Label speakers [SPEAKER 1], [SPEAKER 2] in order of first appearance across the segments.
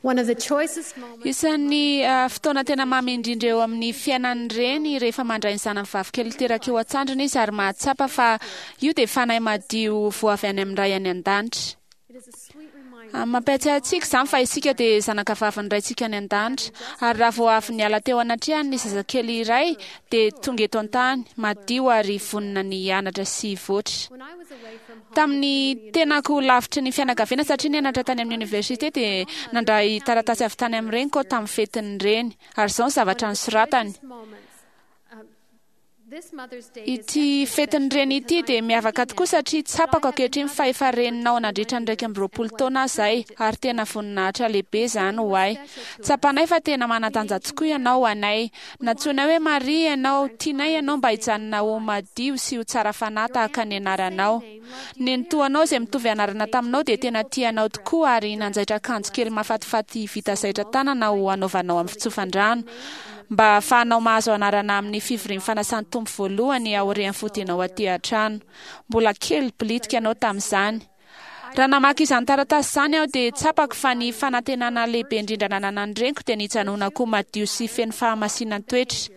[SPEAKER 1] One of the choicest moments.
[SPEAKER 2] Isan'ny fotoana tena mamy indrindra eo amin'ny fiainan'ny reny rehefa mandray ny zanany vavikely teraka eo an-tsandriny izy ary mahatsapa fa io dia fanahy madio vao avy any amin'ny Ray any An-danitra.
[SPEAKER 1] It is a sweet reminder.
[SPEAKER 2] Mampiatsiahy antsika izany fa isika dia zanakavavin'ny Raintsika any An-danitra. Ary raha vao avy niala teo anatrehany ny zazakely iray dia tonga eto an-tany, madio ary vonona ny hianatra sy hivoatra.
[SPEAKER 1] When I was away from home,
[SPEAKER 2] Tamin'ny tenako lavitry ny fianakaviana satria nianatra tany amin'ny oniversite dia nandray taratasy avy tany amin'ny reniko aho tamin'ny fetin'ny reny. Ary izao ny zavatra nosoratany. Ity fetin'ny reny ity dia miavaka tokoa satria tsapako ankehitriny fa efa reninao nandritra ny 21 taona aho izay ary tena voninahitra lehibe izany ho ahy. Tsapanay fa tena manan-danja tokoa ianao ho anay. Nantsoinay hoe Maria ianao, tianay ianao mba hijanona ho madio sy ho tsara fanahy tahaka ny anaranao. Nenitoanao izay mitovy anarana taminao dia tena tia anao tokoa ary nanjaitra akanjo kely mahafatifaty vita zaitra tanana ho hanaovanao amin'ny fitsofan-drano mba hahafahanao mahazo anarana amin'ny fivorian'ny fanasan'ny Tompo voalohany aorian'ny fodianao aty an-trano. Mbola kely bilitika ianao tamin'izany. Raha namaky izany taratasy izany aho dia tsapako fa ny fanantenana lehibe indrindra nananan'ny reniko dia ny hijanonako ho madio sy feno fahamasinan-toetra.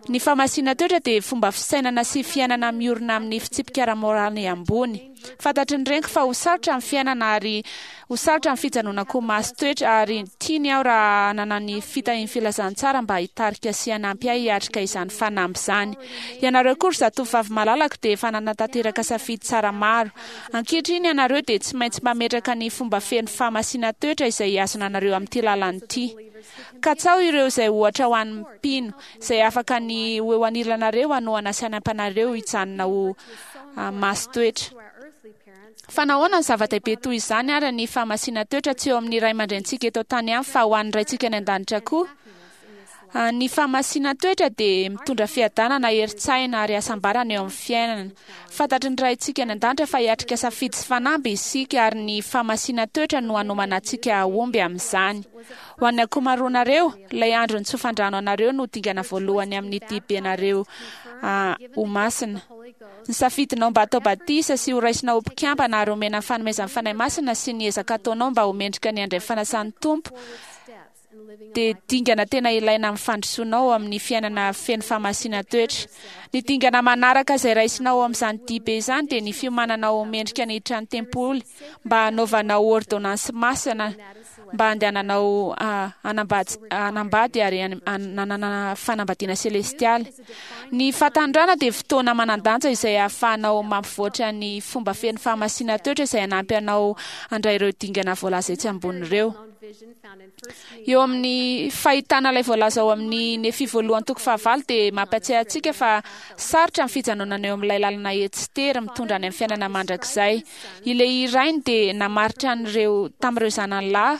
[SPEAKER 2] Ny fahamasinan-toetra dia fomba fisainana sy fiainana miorina amin'ny fitsipika ara-moraly ambony. Fantatry ny reniko fa ho sarotra ny fiainana ary Ho sarotra ny fijanonako ho masin-toetra ary tiany aho raha hanana ny fitahian'ny filazantsara mba hitarika sy hanampy ahy hiatrika izany fanamby izany. Ianareo koa ry zatovovavy malalako dia efa nanatanteraka safidy tsara maro. Ankehitriny ianareo dia tsy maintsy mametraka ny fomba feno fahamasinan-toetra izay hihazona anareo amin'ity lalana ity. Katsaho ireo izay ohatra ho an'ny mpino, izay afaka ny ho eo anilanareo hanohana sy hanampy anareo hijanona ho masin-toetra. Fa nahoana no zava-dehibe toy izany àry ny fahamasinan-toetra tsy eo amin'ny ray aman-drenintsika eto an-tany ihany fa ho an'ny Raintsika any an-danitra koa? Ny fahamasinan-toetra dia mitondra fiadanana, herin-tsaina ary hasambarana eo amin'ny fiainana. Fantatry ny Raintsika any an-danitra fa hiatrika safidy sy fanamby isika ary ny fahamasinan-toetra no hanomana antsika hahomby amin'izany. Ho an'ny ankomaroanareo, ilay andro nitsofan-drano anareo no dingana voalohany amin'ny diabenareo ho masina. Ny safidinao mba hatao batisa sy ho raisina ho mpikambana ary homena ny fanomezan'ny Fanahy Masina sy ny ezaka ataonao mba ho mendrika ny handray ny fanasan'ny Tompo dia dingana tena ilaina amin'ny fandrosoanao ao amin'ny fiainana feno fahamasinan-toetra. Ny dingana manaraka izay raisinao ao amin'izany diabe izany dia ny fiomananao ho mendrika ny hiditra ny tempoly mba hanaovanao ôrdônansy masina mba handehananao hanambady ary hananana fanambadiana selestialy. Ny fahatanorana dia fotoana manan-danja izay ahafahanao mampivoatra ny fomba feno fahamasinan-toetra izay hanampy anao handray ireo dingana voalaza etsy ambony ireo. Eo amin'ny fahitana ilay voalaza ao amin'ny Nefia voalohany toko fahavalo dia mampatsiahy antsika fa sarotra ny fijanonana eo amin'ilay lalana etsy sy tery mitondra any amin'ny fiainana mandrakizay. I Lehia rainy dia namaritra an'ireo tamin'ireo zanany lahy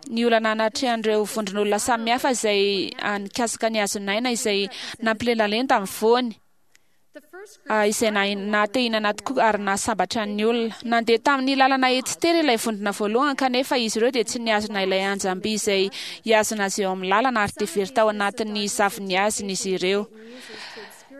[SPEAKER 2] ny olana natrehan'ireo vondron'olona samihafa izay nikasika ny hazon'aina izay nampilendalenda ny voany, izay naha-te-hihinana tokoa ary nahasambatra ny olona. Nandeha tamin'ny lalana etsy tery ilay vondrona voalohany kanefa izy ireo dia tsy nihazona ilay anjam-by izay hihazona azy eo amin'ny lalana ary dia very tao anatin'ny zavon'ny hazony izy ireo.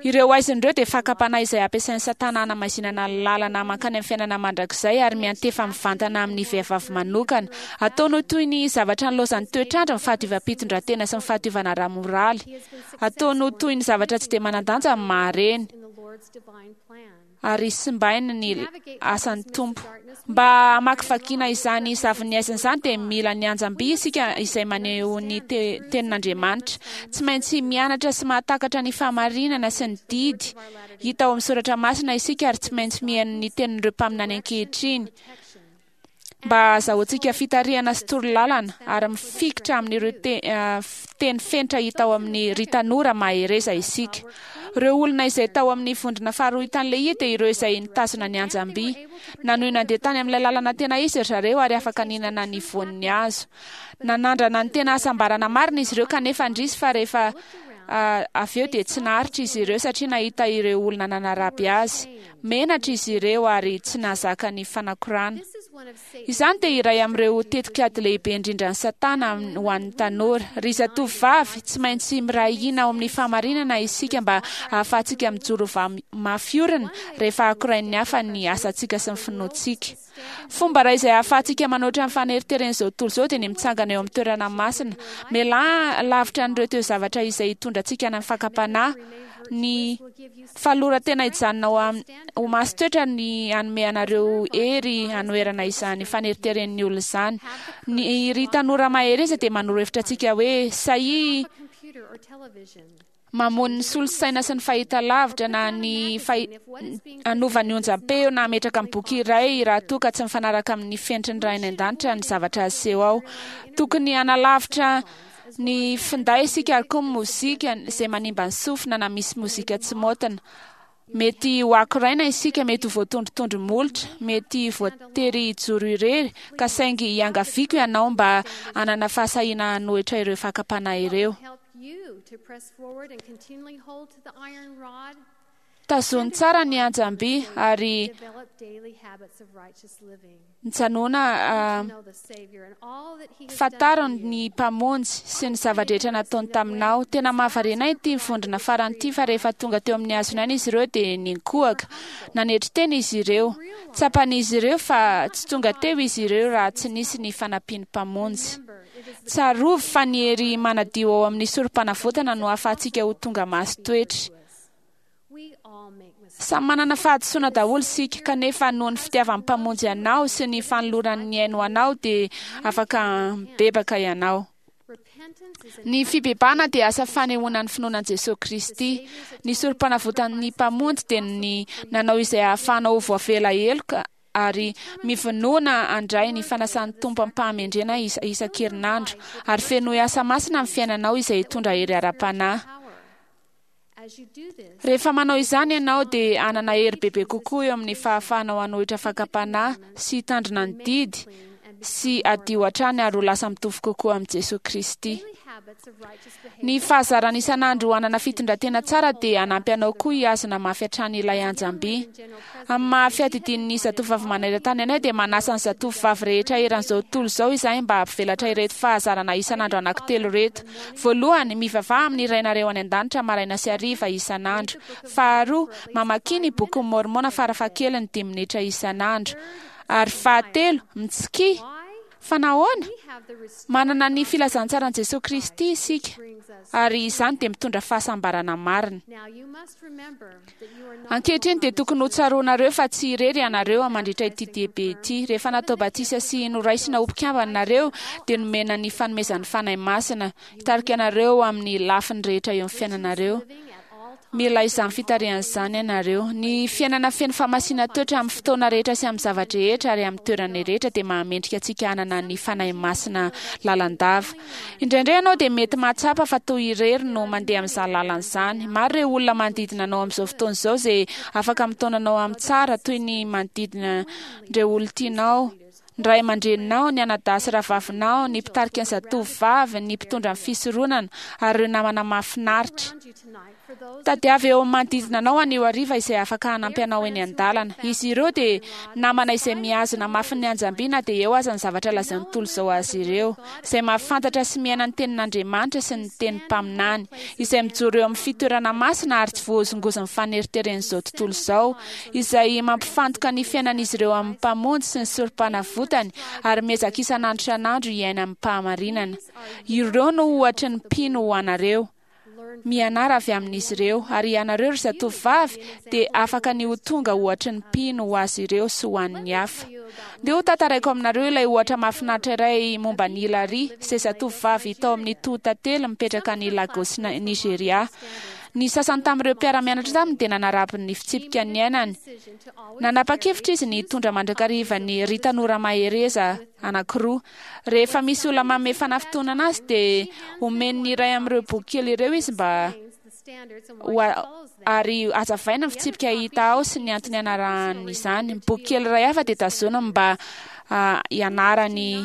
[SPEAKER 2] Ireo haizina ireo dia fakam-panahy izay ampiasain'i Satana hanamaizinana ny lalana mankany amin'ny fiainana mandrakizay ary miantefa mivantana amin'ny vehivavy manokana. Ataony ho toy ny zavatra nilaozan'ny toetr'andro ny fahadiovam-pitondrantena sy ny fahadiovana ara-moraly. Ataony ho toy ny zavatra tsy dia manan-danja ny maha-reny. Ary simbainy ny asan'ny Tompo. Mba hamakivakiana izany zavon'ny haizina izany dia mila ny anjam-by isika izay maneho ny Tenin'Andriamanitra. Tsy maintsy mianatra sy mahatakatra ny fahamarinana sy ny didy hita ao amin'ny soratra masina isika ary tsy maintsy mihaino ny tenin'ireo mpaminany ankehitriny. mba hahazahoantsika fitarihana sy torolalana ary mifikitra amin'ireo teny fenitra hita ao amin'ny Ry Tanora Mahereza isika. Ireo olona izay tao amin'ny vondrona faharoa hitan'i Lehia dia ireo izay nitazona ny anjam-by. Nanohy nandeha tany amin'ilay lalana tena izy ry zareo ary afaka nihinana ny voan'ny hazo. Nanandrana ny tena hasambarana marina izy ireo kanefa indrisy fa rehefa avy eo dia tsy naharitra izy ireo satria nahita ireo olona nanaraby azy. Menatra izy ireo ary tsy nahazaka ny fanakorana. Izany dia iray amin'ireo tetikady lehibe indrindra ny Satana ho an'ny tanora. Ry zatovovavy, tsy maintsy miray hina ao amin'ny fahamarinana isika mba hahafahantsika mijoro mafy orina rehefa akorain'ny hafa ny asantsika sy ny finoantsika. Fomba iray izay ahafahantsika manoatra ny faneriteren'izao tontolo izao dia ny mitsangana eo amin'ny toerana masina. Mialà lavitra an'ireo toe-zavatra izay hitondra antsika any amin'ny fakam-panahy. Ny fanoloran-tena hijanona ho ho masin-toetra ny hanome anareo hery hanoherana izany faneriteren'ny olona izany. Ny ry tanora mahereza dia manoro hevitra antsika hoe sahia mamono ny solosaina sy ny fahitalavitra na ny hanova ny onjam-peo na hametraka ny boky iray raha toa ka tsy mifanaraka amin'ny fenitry ny Ray any An-danitra ny zavatra aseho ao. Tokony hanalavitra ny finday isika ary koa ny mozika izay manimba ny sofina na misy mozika tsy maotina. Mety ho akoraina isika, mety ho voatondrotondro molotra, mety voatery hijoro irery, ka saingy iangaviako ianao mba hanana fahasahiana hanohitra ireo fakam-panahy ireo. Tazony tsara ny anjam-by ary Mijanòna fantaro ny Mpamonjy sy ny zava-drehetra nataony taminao. Tena mahavariana ahy ity vondrona farany ity fa rehefa tonga teo amin'ny hazon'aina izy ireo dia ninkohaka. Nanetry tena izy ireo. Tsapan'izy ireo fa tsy tonga teo izy ireo raha tsy nisy ny fanampian'ny Mpamonjy. Tsarovy fa ny hery manadio ao amin'ny Sorompanavotana no ahafahantsika ho tonga masin-toetra. Samy manana fahadisoana daholo isika, kanefa noho ny fitiavan'ny Mpamonjy anao sy ny fanolorany ny ainy ho anao dia afaka mibebaka ianao. Ny fibebahana dia asa fanehoana ny finoana an'i Jesoa Kristy. Ny Sorompanavotan'ny Mpamonjy dia ny nanao izay hahafahanao ho voavela heloka ary mivonona handray ny fanasan'ny Tompo amim-pahamendrena isan-kerinandro, ary fenoy asa masina ny fiainanao izay hitondra hery ara-panahy. Rehefa manao izany ianao dia hanana hery bebe kokoa eo amin'ny fahafahanao hanohitra fakam-panahy sy hitandrina ny didy sy hadio hatrany ary ho lasa mitovy kokoa amin'i Jesoa Kristy. Ny fahazarana isan'andro hanana fitondran-tena tsara dia hanampy anao koa hihazona mafy hatrany ilay anjam-by. Amin'ny maha fiadidian'ny Zatovovavy Maneran-tany anay dia manasa ny zatovovavy rehetra eran'izao tontolo izao izahay mba hampivelatra ireto fahazarana isan'andro anankitelo ireto. Voalohany, mivavaha amin'ny Rainareo any An-danitra maraina sy hariva isan'andro. Faharoa, mamakia ny Bokin'i Môrmôna farafahakeliny dimy minitra isan'andro. Ary fahatelo, mitsikia! Fa nahoana? Manana ny filazantsaran'i Jesoa Kristy isika, ary izany dia mitondra fahasambarana marina. Ankehitriny dia tokony ho tsaroanareo fa tsy irery ianareo mandritra ity diabe ity. Rehefa natao batisa sy noraisina ho mpikambana nareo, dia nomena ny fanomezan'ny Fanahy Masina hitarika anareo amin'ny lafiny rehetra eo amin'ny fiainanareo. Mila izany fitarihana izany ianareo. Ny fiainana feno fahamasinan-toetra amin'ny fotoana rehetra sy amin'ny zava-drehetra ary amin'ny toerana rehetra dia mahamendrika antsika hanana ny Fanahy Masina lalandava. Indraindray ianao dia mety mahatsapa fa toa irery no mandeha amin'izany lalana izany. Maro ireo olona manodidina anao amin'izao fotoana izao izay afaka mitaona anao amin'ny tsara, toy ny manodidina ireo olon-tianao, ny ray aman-dreninao, ny anadahy sy rahavavinao, ny mpitarika ny zatovovavy, ny mpitondra ny fisoronana, ary ireo namana mahafinaritra. Tadiavo eo amin'ny manodidina anao anio hariva izay afaka hanampy anao eny an-dalana. Izy ireo dia namana izay mihazona mafy ny anjam-by na dia eo aza ny zavatra lazain'ny tontolo izao azy ireo, izay mahafantatra sy miaina ny tenin'Andriamanitra sy ny tenin'ny mpaminany, izay mijoro eo amin'ny fitoerana masina ary tsy voahozongozon'ny faneriteren'izao tontolo izao, izay mampifantoka ny fiainan'izy ireo amin'ny Mpamonjy sy ny Sorompanavotany ary miezaka isan'andro isan'andro hiaina amim-pahamarinana. Ireo no ohatry ny mpino ho anareo. Mianara avy amin'izy ireo, ary ianareo ry zatovovavy dia afaka ny ho tonga ohatry ny mpino ho azy ireo sy ho an'ny hafa. Ndeha ho tantaraiko aminareo ilay ohatra mahafinaritra iray momba an'i Hilary, izay zatovovavy tao amin'ny Toho-tantely mipetraka any Lagos, Nigeria. Ny sasany tamin'ireo mpiara-mianatra taminy dia nanaraby ny fitsipika niainany. Nanapa-kevitra izy ny hitondra mandrakariva ny Ry Tanora Mahereza anankiroa. Rehefa misy olona manome fanafintohinana azy dia omeny ny iray amin'ireo boky kely ireo izy mba ho ary hazavaina ny fitsipika hita ao sy ny antony anarahany izany. Ny boky kely iray hafa dia tazoniny mba hianarany.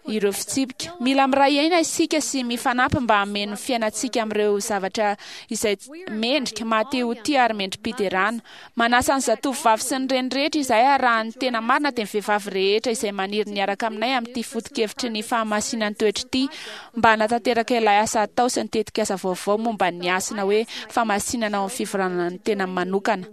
[SPEAKER 2] ireo fitsipika. Mila miray aina isika sy mifanampy mba hameno ny fiainantsika amin'ireo zavatra izay mendrika, maha-te ho tia ary mendri-piderana. Manasa ny zatovovavy sy ny reny rehetra izahay ary raha ny tena marina dia ny vehivavy rehetra izay maniry ny hiaraka aminay amin'ity foto-kevitry ny fahamasinan'ny-toetra ity mba hanatanteraka ilay asa atao sy ny tetikasa vaovao momba ny hasina hoe fahamasinana ao amin'ny fivoranana ny tenany manokana.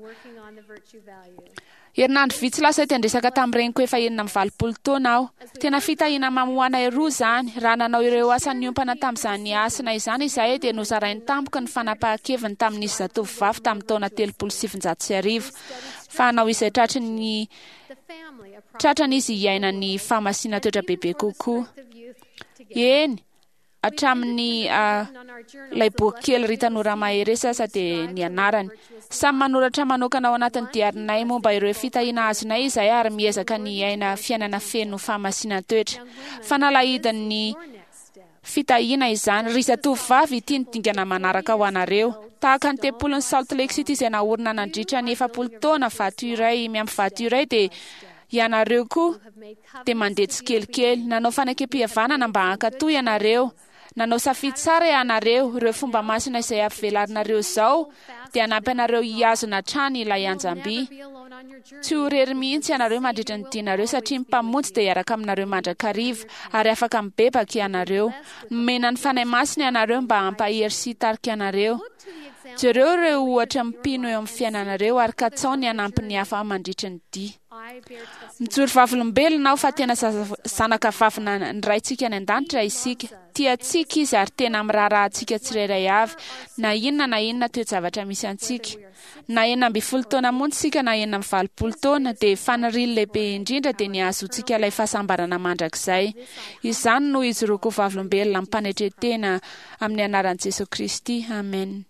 [SPEAKER 2] Herinandro vitsy lasa ety an-dresaka tamin'ny reniko efa 86 taona aho. Tena fitahiana mamy ho anay roa izany. Raha nanao ireo asa niompana tamin'izany hasina izany izahay dia nozarainy tampoka ny fanapahan-keviny tamin'izy zatovovavy tamin'ny taona 1930 fa hanao izay tratry ny tratrany izy hiaina ny fahamasinan-toetra bebe kokoa. Eny, hatramin'ny ilay boky kely Ry Tanora Mahereza aza dia ny anarany. Samy manoratra manokana ao anatin'ny diarinay momba ireo fitahiana azonay izahay ary miezaka ny hiaina fiainana feno fahamasinan-toetra. Fanalahidin'ny fitahiana izany. Ry zatovovavy, ity ny dingana manaraka ho anareo. Tahaka ny tempolin'i Salt Lake City izay naorina nandritra ny 40 taona, vato iray miampy vato iray, dia ianareo koa dia mandeha tsikelikely. Nanao fanekempihavanana mba hankatò ianareo. Nanao safidy tsara ianareo. Ireo fomba masina izay ampivelarinareo izao dia hanampy anareo hihazona hatrany ilay anjam-by. Tsy ho irery mihitsy ianareo mandritra ny dianareo satria ny Mpamonjy dia hiaraka aminareo mandrakariva ary afaka mibebaka ianareo. Nomena ny Fanahy Masina ianareo mba hampahery sy hitarika anareo. Jereo ireo ohatra mpino eo amin'ny fiainanareo ary katsao ny hanampy ny hafa mandritry ny dia. Mijoro vavolombelona aho fa tena zanaka vavina ny Raintsika any an-danitra isika. Tia antsika Izy ary tena miraharaha antsika tsirairay avy, na inona na inona toe-javatra misy antsika. Na 16 taona monja isika na 86 taona, dia faniriany lehibe indrindra dia ny hahazoantsika ilay fahasambarana mandrakizay. Izany no ijoroako ho vavolombelona amim-panetren-tena amin'ny anaran'i Jesoa Kristy. Amen.